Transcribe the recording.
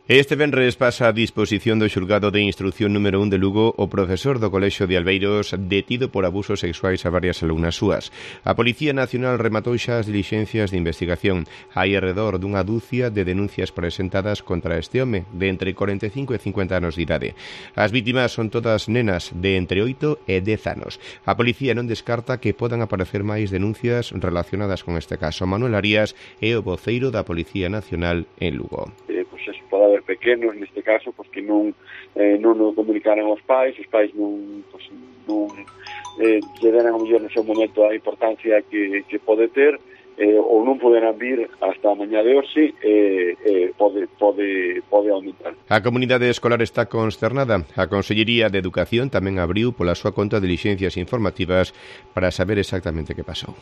Este venres pasa a disposición do xulgado de instrucción número 1 de Lugo o profesor do Colexio de Albeiros detido por abusos sexuais a varias alumnas súas. A Policía Nacional rematou xa as dilixencias de investigación. Hai alrededor dunha dúcia de denuncias presentadas contra este home de entre 45 e 50 anos de idade. As vítimas son todas nenas de entre 8 e 10 anos. A Policía non descarta que podan aparecer máis denuncias relacionadas con este caso. Manuel Arias é o voceiro da Policía Nacional en Lugo. Pode haber pequenos neste caso que non o comunicaran aos pais non lle deran a mellor no seu momento a importancia que pode ter ou non poderán vir hasta a mañá de hoxe pode aumentar. A comunidade escolar está consternada. A Consellería de Educación tamén abriu pola súa conta dilixencias informativas para saber exactamente que pasou.